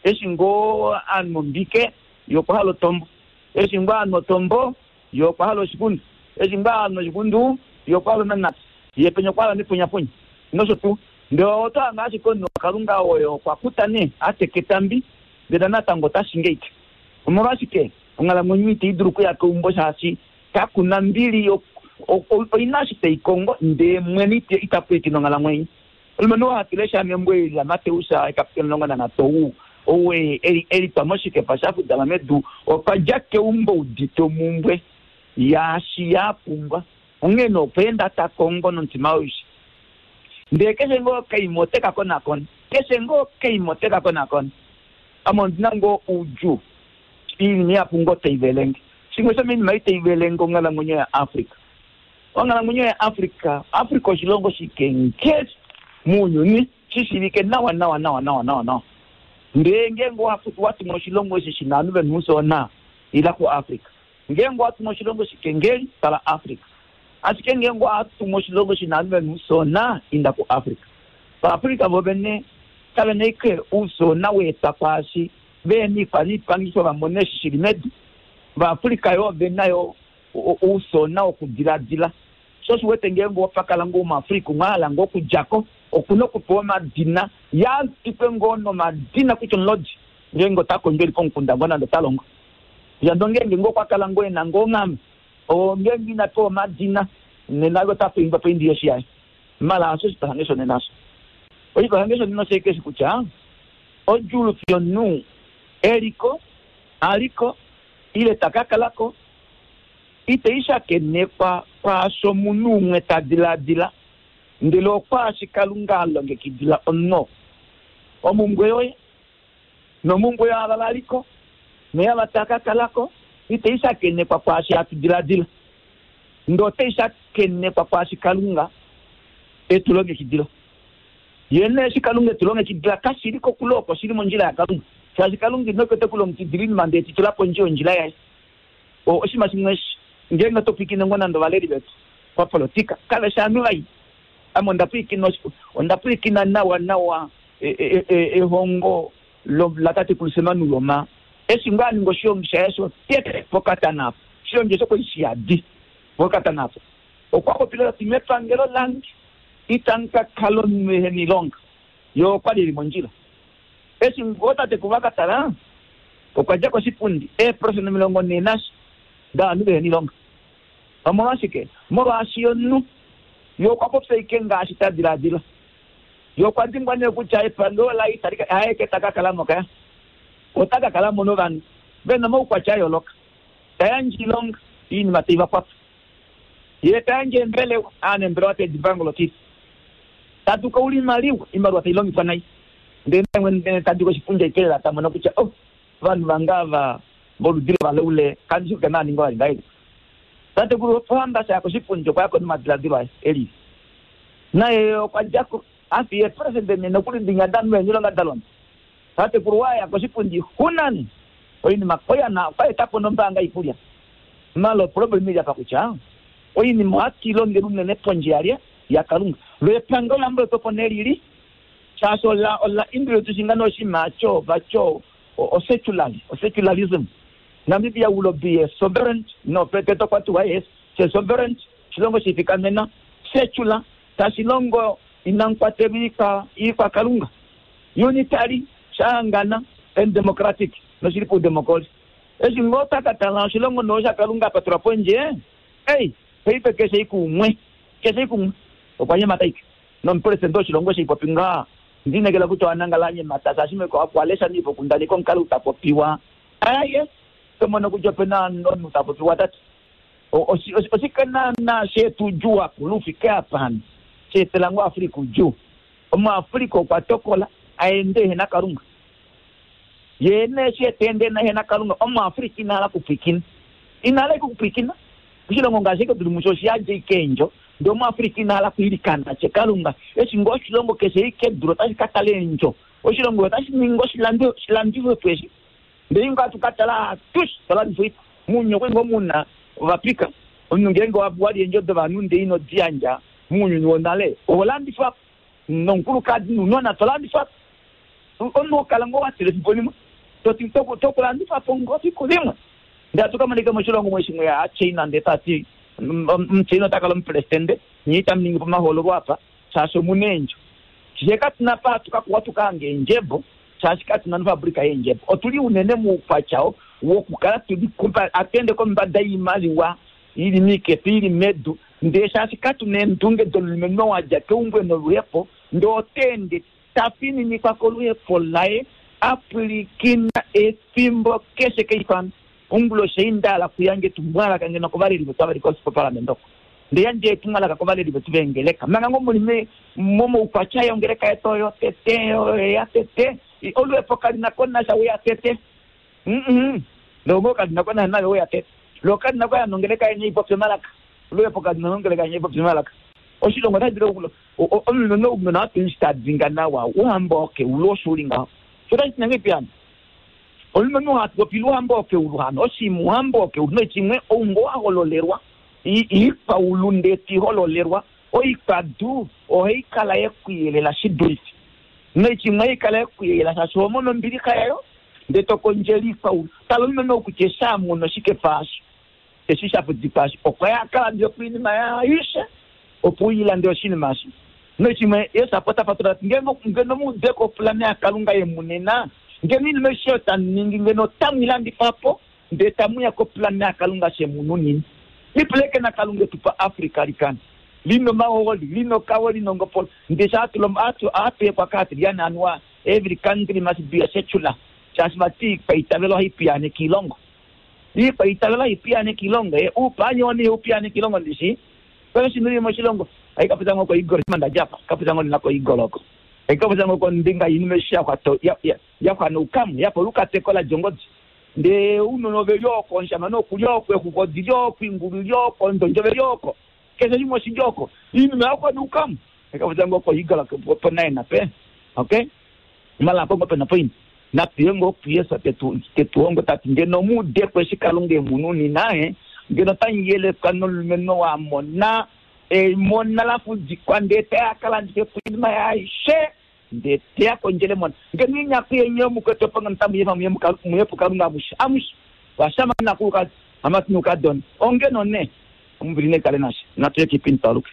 [SPEAKER 2] eshi ngoo a nwa ombike ye okwa hala otombo, eshi ngoo a nwa otombo ye okwa hala oshikundu, eshi ngoo a nwa oshikundu ye okwa hala onamunate, ye penya okwa hala nepunyapunya nosho tuu. Ndele oto hange ashike omunhu waKalunga oye okwa kuta nee a teka etambi ndele natango ota shingeike. Omolwashike onghalamwenyo itai dulu okuya keumbo shaashi kaku na mbili oi na eshi tai kongo ndee mwene ita pwilikine onghalamwenyo. Omulumenhu oo hatu lesha membo eli laMateus ekapitolo 13 ou ou e litwa moshikepa sha fudama medu okwa dja keumbo udite omumbwe yaashi ya pumbwa. Onghee nee okwa enda ta kongo nomutima aushe. Ndee keshe ngoo okaima ote ka konakona. Keshe ngoo okaima ote ka konakona. Ame ondi na ngoo oudjuu. Oinima ihapu ngoo tai velenge. Shimwe shomoinima ei tai velenge onghalamwenyo yaAfrica. Onghalamwenyo yaAfrica, Africa oshilongo shikengeli mounyuni, shi shiivike nawa nawa nawa nawa nawa nawa. Ndee ngeenge owa tumwa oshilongo eshi shi na ovanhu ve na oufyoona, ila kuAfrica. Ngeenge owa tumwa oshilongo shikengeli, tala Africa. Ashike ngeenge owa tumwa oshilongo shi na ovanhu ve na oufyoona, inda kuAfrica. VaAfrica vo vene kave na ashike oufyoona wa etwa kwaashi ve na oikwaniipangifo va mone eshi shi li medu. VaAfrica yo ove na yo oufyoona wokudiladila. Sho osho u wete ngeenge opa kala ngoo omuAfrica umwe a hala ngoo okudja ko, oku na okupewa omadina, ye a tikwe ngoo nomadina kutya omulodi ngeenge ota kondjo e li komukunda ngoo nande ota longo. Kutya ndo ngeenge ngoo okwa kala ngoo e na ngoo onghama, ngeenge ina pewa omadina, nena ye ota poingwa poindi yoshi yaye. Mala hasho oshipahange shonena osho. Oshipahange shonena osho eshi kutya odjuulufi yomunhu eliko, aliko, ile ta ka kala ko, itai shakenekwa kwaasho omunhu umwe ta diladila, ndele okwaashi Kalunga a longekidila omunhu oo. Omumbwe yoye nomumbwe yaava va li ko noyaava tava ka kala ko itai shakenekwa kwaashi hatu diladila, ndele otai shakenekwa kwaashi Kalunga e tu longekidila. Ye nee eshi Kalunga e tu longekidila kashi li kokule oko, oshi li mondjila yaKalunga, shaashi Kalunga ino ke te ku longekidila oinima ndele te i tula pondje yondjila yaye. Oshinima shimwe eshi ngeenge oto pwilikine ngoo nande ovaleli vetu papolitika kave shi ovanhu vai. Ame onda pwilikina nawa nawa ehongo latatekulu Sam Nujoma eshi ngoo a ninga oshilongi shaye shotete pokatana apo. Oshilongi eshi okwali shiyadi pokatana apo. Okwa popile ta ti mepangelo lange itamu ka kala omunhu ehe na oilonga. Ye okwali eli mondjila. Eshi ngoo tatekulu a ka tala okwa dja koshipundi eeprosenda 40 nasha dovanhu vehe na oilonga. Omolwashike? Molwaashi omunhu ye okwa popya ashike ngaashi ta diladila. Ye okwa dimbwa nee kutya epangelo laye itali ka, haeke ta ka kala mo kaya. Ota ka kala mo novanhu ve na omaukwatya a yooloka. Ta yandje oilonga, oinima tai va kwafa. Ye ta yandje eembelewa, ovanambelewa tave di pangolokifa. Ta tukaula oimaliwa, oimaliwa tai longifwa nai. Ndele naye mwene ta di koshipundi aike lela ta mono kutya, oh, ovanhu vange ava voludi lovalaule kandi shi kutya nava ninga vali ngahelipi. Tatekulu Pohamba sha ya koshipundi okwa ya ko nomadiladilo aye e lili. Naye okwa dja ko a fiya eepresente nhe nokuli dinya da nwe eenyilonga da londa. Tatekulu wa ya koshipundi Hunan oinima oyana okwa eta po nombaanga yikulya. Malo problem ili apa kutya oinima ohatu i longele unene pondje yalye yaKalunga. Lo epangelo lambo po nee lili shaashi ola ola introduce ngano oshinima cho vacho o secularism. Namibia will be a sovereign, no, president okwa tiwa yes, she sovereign, oshilongo shifikamena, secular, tashi longo inamu kwatelwa iikwakalunga, unitary, shahangana, and democratic, noshili paudemokoli. Eshi ngoo taka tala oshilongo noo shakalunga apa tula pondje, ei, paife keshe ikumwe, keshe ikumwe, okwa nyemata ike. Nomupresidente woshilongo sheipopi ngaa, ndinekela kutya wanangala anyemata, shaashi meko okwa lesha niifokundaneka omukalo utapopiwa. Aye, tomono kutya opena omunhu ta popiwa tati oshike naana shetu djuu akulu ufike apa hano sheetela ngoo Afrika udjuu. OmuAfrika okwa tokola aende ehena Kalunga. Ye nee eshi eta ende ehena Kalunga, omuAfrika ina hala okupwilikina. Ina hala okupwilikina. Oshilongo ngaashi eke tuli musho oshiyadja ike eendjo, ndee omuAfrika ina hala okwiilikana tye Kalunga. Eshi ngoo oshilongo keshe ike dulu otashi ka tala eendjo. Oshilongo otashi ningi oshilandifwepo eshi. Ndee inga hatu ka tala atush tolandifa oipa. Mounyuni okwa li ngoo muna ovapika. Omunhu ngeenge wali eendjo dovanhu ndee ino di yandja mounyuni wonale, oho landifwa nomukulukadi nounona tolandifwa. Omunhu okala ngoo watila efimbo limwe toti tokulandifa po ngoo fiku limwe. Ndee hatu ka monika moshilongo mwe shimwe ya China ndee tati omuChina ota kala omupresidente nyee itamu ningi po omahoololo apa shaashi omuna eendjo. Shee katuna pa hatu ka kuwa tuka hange eendjebo shaashi katuna nofabrika yeendjebo. Otuli unene moukwatya wokukala tuli hatu ende kombada yoimaliwa ili miikefa ili medu ndee shaashi katuna eendunge domulumenhu wadja keumbo noluhepo ndee ota ende ta fininikwa koluhepo laye apwilikina efimbo keshe keifano. Onguloshi ei ndahala kuyandja etumwalaka ngeno kovaleli vetu ava vali koparlament oko. Ndee yandja etumwalaka kovaleli vetu veengeleka. Manga ngoo muli momoukwatya yongeleka yetu oyo tete, oyo ya tete. Oluhepo kali na ko nasha weya tete. Ndee ngoo kali na ko nasha nayo weya tete. Lo kali na ko ya nongeleka yeni ipopye omalaka. Oluhepo kali na nongeleka yeni ipopye omalaka. Oshilongo otashi dulu omunhu omunhu atu ta dinga nawa uhamba oke ulo osho uli ngaho. Otashi tinange piano. Omunhu hatu popi luhamba oke uluhano oshimuhamba oke ulu nochimwe oungo wa hololelwa iikwaulu ndee tihololelwa oikwadu ohai kala yekuyelela shidulife nochimwe haikala yekuyelela shaashi oho mono ombilixa yayo ndee tokondjela iikwaulu. Tala omunhu kutya eshi amono oshikefa asho eshi shafudikwa asho okwa ya akalandile oinima yaishe opo uilande oshinima asho. Nochimwe Yesu apo ta fatula tati ngeno muudeko opulana yaKalunga yemunena ngeno inima aishe oyo tamu ningi ngeno otamu ilandifa po ndee tamuya kopulana yaKalunga shemununini. Lipuleke naKalunga etu pa Africa likana lino mahooli lino kawo lino ngopolo ndee sha atu hekwa kaatilyana anuwa every country must be a secular shaashi vati iikwaitavelo ohayi piyaaneke iilongo. Iikwaitavelo hayi piyaaneke iilongo uupaanyowo nee upiyaaneke iilongo ndishi paife shino ili moshilongo haikapita ngoo koigolo mandajapa kapita ngoo nena koigolo oko haikapita ngoo kombinga yinima eshi yaxwa noukamu yafa olukateko ladjongodi ndee ounona oveli oko omushamane okuli oko exuku odili oko ingulu ili oko ondondjo veli oko keshe shimwe oshili oko iinima yaxwa noukamu haikapita ngoo koigolo ponaena pe okay malako ngoo pena poini. Natuye ngoo kuJesus tetu hongo tati ngeno mu ude ko eshi Kalunga e mu nunina, ngeno otamu yelekwa nomulumenhu oo a mona emona la fudikwa ndee teya a ka landife po oinima yaye aishe ndee teya kondjele emona. Ngeno inyaku yeni yomukwetu opo ngeno otamu yefa muye puKalunga amushe amushe, ovashamane nakulukadi, ovamati noukadona. Ongeno nee ombili nai kale nashe. Natu ye kiipindi twaluke.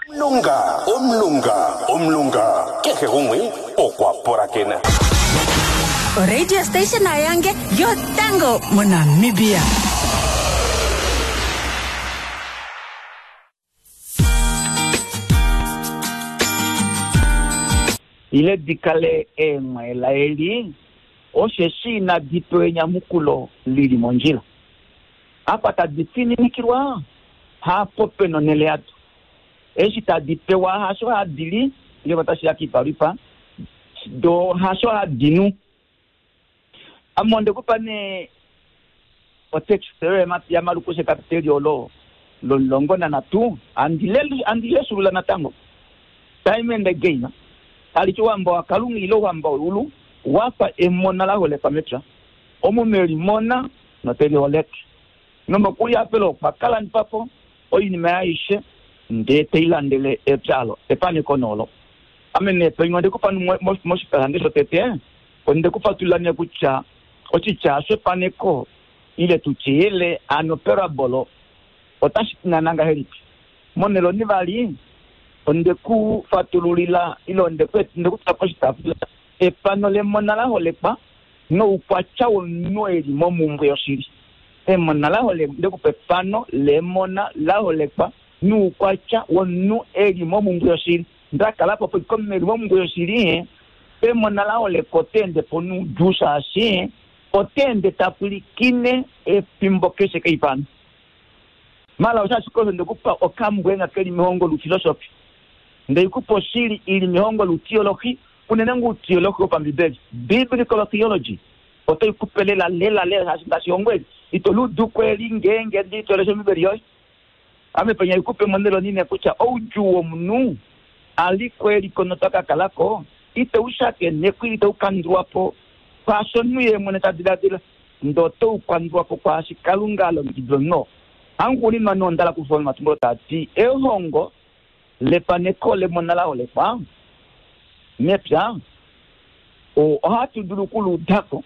[SPEAKER 3] Omulunga, omulunga, omulunga, kehe gumwe okwa pulakena.
[SPEAKER 4] Oradio station yange yotango moNamibia.
[SPEAKER 2] Ile di kale eemwaelaeli, osheshi inadi pewa enyamukulo li li mondjila. Apa tadi fininikilwa, hapo pe nonhele yado. Eshi tadi pewa hasho hadi li, ngenge otashi ya kiipalwifa, do hasho hadi nu. Ame onde ku pa nee otekste yoye yaMalukus ekapiteli olo lomulongo nanhatu, handi lesulula natango. Time and again, tali ti Ouhamba waKalunga ile Ouhamba weulu wa fa emona la holekwa mepya. Omunhu e li mona note li holeke. Nomokulihafela okwa ka landifa po oinima yaye aishe ndee te i landele epya olo, efaneko nee olo. Ame nee paife onde ku pa moshipalande shotete, onde ku fatulula nee kutya oshitya shefaneko ile tu tye yele hano parabolo otashi ti naana ngahelipi. Monhele onivali onde ku fatululila ile onde ku tula poshitaafula efano lemona la holekwa noukwatya womunhu e li momhumbwe yoshili. Emona la holekwa, onde ku pa efano lemona la holekwa noukwatya womunhu e li momhumbwe yoshili. Nda kala po komunhu e li momhumbwe yoshili, pemona la holekwa ota ende po noudjuu shaashi ota ende ta pwilikine efimbo keshe keifano. Mala osho ashike osho nde ku pa okambwenga ke li mehongo loufilosofi. Nde ku pa oshili i li mehongo loutiolohi, unene ngoo outiolohi wopambibeli, biblical theology, otai ku pe lela lela lela shaashi ngaashi ehongo eli ito li udu ko eli ngeenge ndi to lesha Ombibeli yoye. Ame penya i ku pe monhele onine kutya oudjuu womunhu a li ko e li ko nota ka kala ko, ite u shakenekwa ile ite u kandulwa po kwaasho omunhu ye mwene ta diladila, ndele ote u kandulwa po kwaashi Kalunga a longekidila omunhu oo. Hauxuuninwa nee onda hala okufa omatumbulo taa ti, Ehongo lefaneko lemona la holekwa mepya ohatu dulu oku li uda ko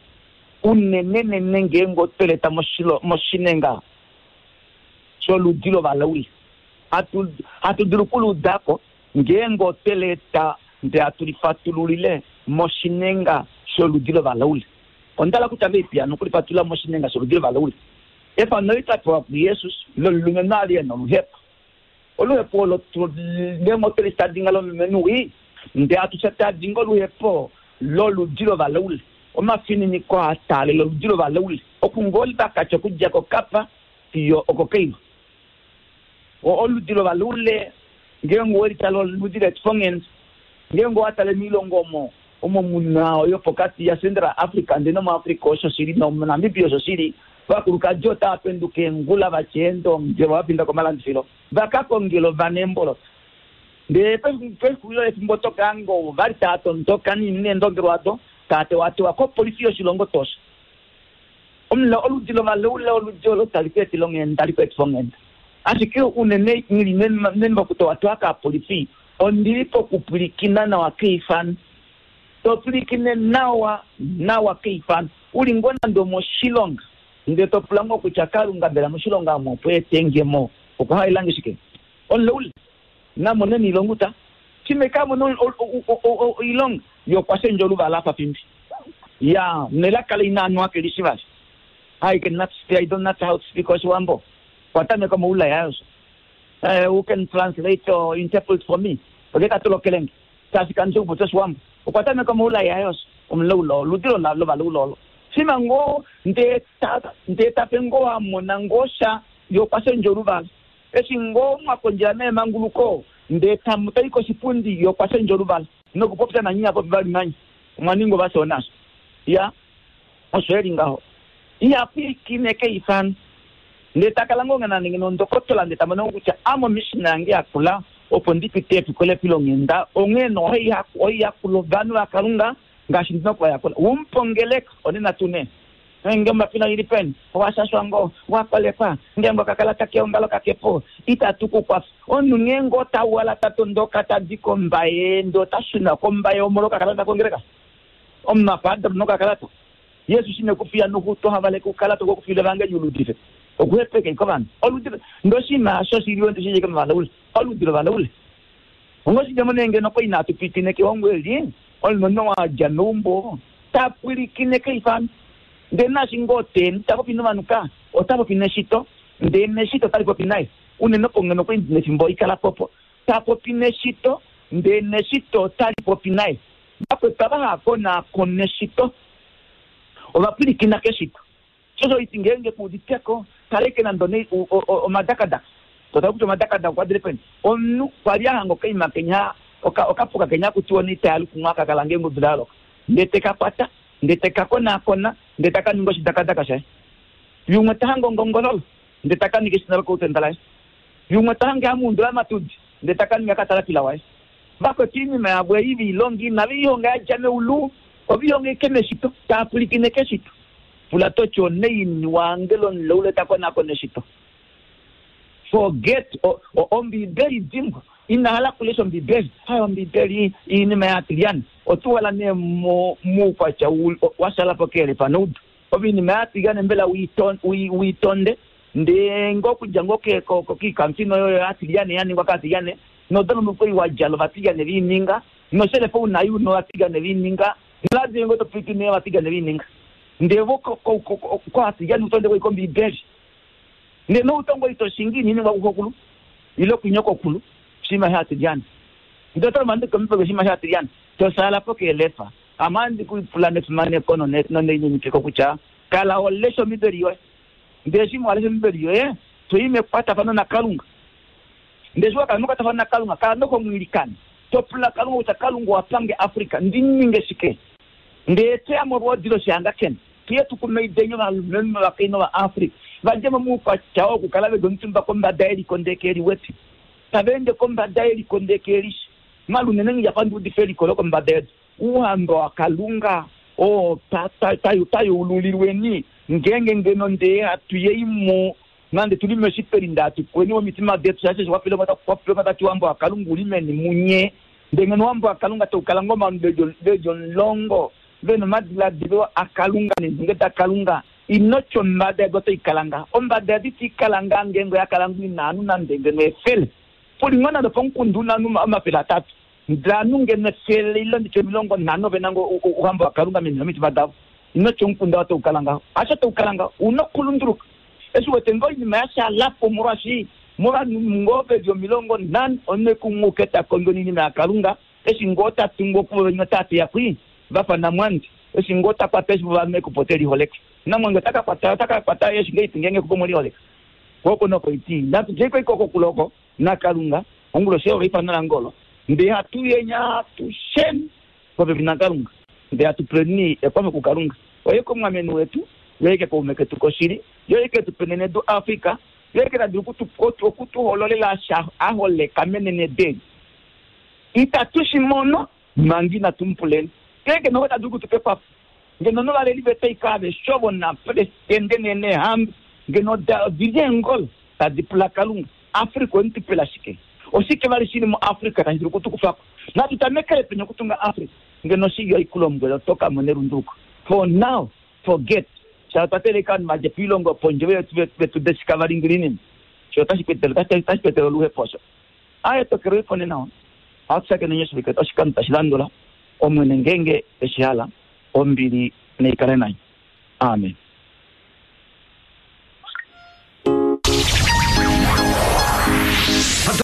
[SPEAKER 2] unenenene ngeenge otwe li eta moshinenga sholudi lovalaule. Hatu dulu oku li uda ko ngeenge otwe li eta ndele hatu li fatululile moshinenga sholudi lovalaule. Onda hala okutya ngahelipi hano okulifatulula moshinenga sholudi lovalaule? Efano eli twa pewa kuJesus lomulumenhu a li e na oluhepo. Oluhepo olo ngeenge otwe li tadinga lomulumenhu wii, ndele hatu tya tadinga oluhepo loludi lovalaule, omafininiko a taalela oludi lovalaule, okungoo vakatya okudja koKapa fiyo okoKaima. Oludi lovalaule ngeenge owe li tale oludi leetufonghenda. Ngeenge owa tale moilongo omo omo mu na yopokati yaCentral Africa ndele nomuAfrica osho shi li nomuNamibia osho shi li, ovakulukadi otava penduka eengula va tya eendongelwa va finda komalandifilo va ka kongele ovana eemboloto. Ndele pexulilo lefimbo oto ka hanga ovo va li tava tondoka neendongelwa odo tava tewatewa kopolifi yoshilongo tosha. Omula oludi lovalaule oludi olo tali ku etele onghenda, tali ku etifa onghenda. Ashike unene nghi li meni mokutewatewa kaapolifi, ondi li pokupwilikina nawa keifano. To pwilikine nawa nawa keifano. U li ngoo nande omoshilonga, ndele to pula ngoo kutya, Kalunga, mbela moshilonga omu opo ete nge mo? Okwa halela nge shike? Omulaule na mone niilonga uta. Shimwe ka mone oilonga, ye okwa shendja oluvala a fa fimbi. Ya, nelaka le ina nwa ke li shi vali. I can not speak, I don't not how to speak Oshiwambo. Okwa tameka omaula yaye osho. Who can translate or interpret for me? Oke ka tolokele nge. Shaashi kandi shi okupopya Oshiwambo. Okwa tameka omaula yaye osho. Omulaula, oludi lovalaula olo. Shima ngoo ndee ta, ndee ta pe ngoo a mona ngoo sha, ye okwa shendja oluvala. Eshi ngoo mwa kondjela neemanguluko ndee tamu tai koshipundi ye okwa shendja oluvala nokupopya nanye iha popi vali nanye. Omwa ninga ovafyoona asho. Iya, osho e li ngaho. Iha pwilikine keifano. Ndee ta kala ngoo nande ngeno ondokotola ndee ta mono ngoo kutya ame omishina yange yakula opo ndi pite efikola efilonghenda onghee nee ohai yakula ovanhu vaKalunga. Ngaashi ndi na okuvayakula. Umupongeleka, onena tuu nee. Nge ombapila ili peni, owa shashwa ngoo, wa kolekwa, ngeenge okakalata keongalo kake po, itatu ku kwafa. Omunhu ngeenge ota wala ta tondoka ta di kOmbaye ndee ota shuna kOmbaye omolwa okakalata kongeleka? Omunhu a fa Adam nokakalata. Jesus ine ku fiya noku to havaleke oukalata okwe ku fiila evangeli u luudife. Okuhepeka iko ovanhu. Oludi ndee oshinima osho shi li wete shi shike movalaule. Oludi lovalaule. Onga oshidjemo nee ngeno kwa inatu pwilikina kehongo eli, omunhu wa dja meumbo ta pwilikine keifano. Ndele naashi ngoo te ende ta popi novanhu ka, ota popi neshito, ndele neshito otali popi naye. Unene opo ngeno kwa ndi nefimbo ikala po opo. Ta popi neshito, ndele neshito otali popi naye. Vakwetu ava hava konaakona eshito, ova pwilikina keshito. Sho osho iti ngeenge ku uditeko, kaleke nande one omadakadaka. To tala kutya omadakadaka okwa dile peni. Omunhu kwa li a hanga okaima kenya, oka, okapuka kenya haku tiwa one itaya lukumwa aka kala ngeenge odula ya loka. Ndee te ka kwata, ndee te ka konaakona, ndee ta ka ninga oshidakadaka shaye. Yumwe ta hange ongongololo, ndee ta ka ninga eshina lokoutenda laye. Yumwe ta hange hamuundula amatudi, ndee ta ka ninga katalapila waye. Vakwetu oinima yavo ei ve i longa inave i honga ya dja meulu, ove i honga ashike meshito, tava pwilikine keshito. Pula to ti onaini wange lomuleule ta konakona eshito? Forget Ombibeli dimbwa. Ina hala okulesha Ombibeli. Hai Ombibeli iinima yaatilyane. Otu wala nee muukwatya wa shala po keelefa noudu. Ove iinima yaatilyane mbela ui tonde ndee ngoo okudja ngoo kiikamufino yoyo yaatilyane ya ningwa kaatilyane nodolombo kweli wa djala ovatilyane ve i ninga noshelefa u nayo una ovatilyane ve i ninga noladio ngoo to pwilikine ovatilyane ve i ninga ndee vo koatilyane u tonde koika Ombibeli. Ndele noutongo ito shingi ina iningwa kuxokulu ile kunyokokulu oshinima shaatilyane. Ndele oto lomba ndikomipoke oshinima shaatilyane, to shaala po keelefa. Ame ohandi ku pula nefimaneko nonelininipiko kutya, kala ho lesha Ombibeli yoye. Ndele eshi wa lesha Ombibeli yoye, to i mekwatafano naKalunga. Ndele eshi wa kala mekwatafano naKalunga, kala noho mu ilikana, to pula Kalunga kutya, Kalunga owa pange Africa ndi ninge shike? Ndele to ya molwoodi loshihangakena. Tuye tu kumaideni ovalumenhu novakainhu Ovaafrika va dje mo moukwatya oo wokukala ve li omutumba kombada yeliko ndee ke liwete tava ende kombada yeliko ndee ke lishi. Malunene nghi yafa ndi udife eliko lokombada yedu. Ouhamba waKalunga oo twa yeululilweni ngeenge ngeno ndee hatu yei mo nande tu li meshipeli ndee hatu kweni momitima detu shaashi eshi kwapilwa tati ouhamba waKalunga u li meni munye. Ndee ngeno ouhamba waKalunga tau kala ngoo ovanhu ve li omulongo ve na omadiladilo aKalunga neendunge daKalunga, ino tya ombada yedu otai kala ngaha. Ombada yedu itai kala ngaha ngeenge oya kala ngoo ina anu nande ngeno efele. Pu li ngoo nande opomukunda u na ovanhu 300, ndele ovanhu ngeno efele ile nditye 50 ove na ngoo Ouhamba waKalunga meni lomitima davo. Ino tya omukunda oo otau kala ngaho. Hasho tau kala ngaho. U na okulunduluka. Eshi u wete ngoo oinima ya shala po molwaashi movanhu ngoo ve li 50 omunhu ekumwuke ta kondjo noinima yaKalunga, Eshi ngoo ta tungu okuvo venya ota teya kwi, va fa Namwandi. Eshi ngoo ta kwata eshi vovanhu ekupo te liholeke. Namwandi ota ka kwata, ota ka kwata eshi ngee iti ngeenge ekupo mwe liholeka. Ko oko noko iti. Natu djei ko iko kokule oko, naKalunga, onguloshi oyo eifano lange olo. Ndee hatu yenya atusheni popepi naKalunga. Ndee hatu puleni ekwafo kuKalunga. Oye komwameni wetu, ye oye kaume ketu koshili, ye oye ke tu penenedu Africa, ye oye ke ta dulu oku tu hololela sha a holeka menenedu eli. Itatu shi mono manga inatu mu puleni. Ngeenge noho ota dulu okutu pa ekwafo, ngeno novaleli vetu aike aveshe ovo napresidente neehamba ngeno odi li eengolo tadi pula Kalunga, Africa owe mu tu pela shike? Oshike vali shi li muAfrica tashi dulu okutu kufa ko? Natu tamekele peni okutunga Africa? Ngeno oshili oikulombwela oto ka mona elunduluko. For now, forget. Sha otwa teeleka ovanhu va dje poilongo yopondje ve tu deshika vali ngilinini. Sho otashi ku etele oluhepo osho. Aye, tokelwe po nena. Ohatu shakene oshivike oshikando tashi landula, Omwene ngeenge e shi hala. Ombili nai kale nanye. Amen.